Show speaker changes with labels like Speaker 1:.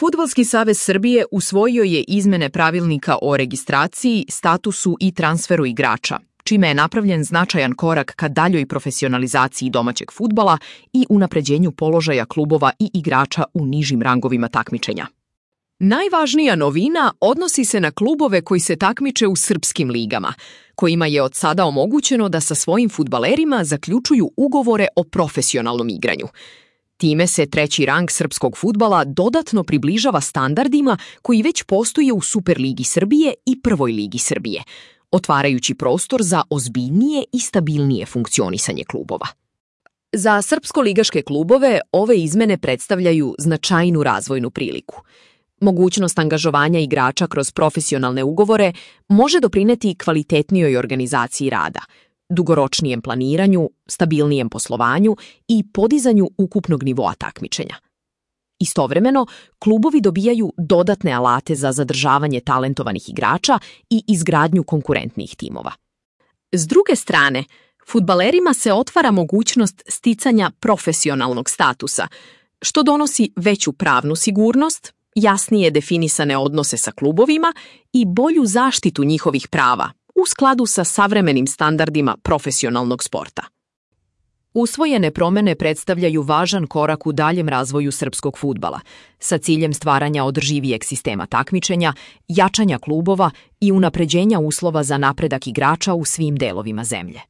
Speaker 1: Fudbalski savez Srbije usvojio je izmene pravilnika o registraciji, statusu i transferu igrača, čime je napravljen značajan korak ka daljoj profesionalizaciji domaćeg fudbala i unapređenju položaja klubova i igrača u nižim rangovima takmičenja. Najvažnija novina odnosi se na klubove koji se takmiče u srpskim ligama, kojima je od sada omogućeno da sa svojim fudbalerima zaključuju ugovore o profesionalnom igranju. Time se treći rang srpskog fudbala dodatno približava standardima koji već postoje u Superligi Srbije i Prvoj ligi Srbije, otvarajući prostor za ozbiljnije i stabilnije funkcionisanje klubova. Za srpsko-ligaške klubove ove izmene predstavljaju značajnu razvojnu priliku. Mogućnost angažovanja igrača kroz profesionalne ugovore može doprineti kvalitetnijoj organizaciji rada, dugoročnijem planiranju, stabilnijem poslovanju i podizanju ukupnog nivoa takmičenja. Istovremeno, klubovi dobijaju dodatne alate za zadržavanje talentovanih igrača i izgradnju konkurentnih timova. S druge strane, fudbalerima se otvara mogućnost sticanja profesionalnog statusa, što donosi veću pravnu sigurnost, jasnije definisane odnose sa klubovima i bolju zaštitu njihovih prava u skladu sa savremenim standardima profesionalnog sporta. Usvojene promene predstavljaju važan korak u daljem razvoju srpskog fudbala, sa ciljem stvaranja održivijeg sistema takmičenja, jačanja klubova i unapređenja uslova za napredak igrača u svim delovima zemlje.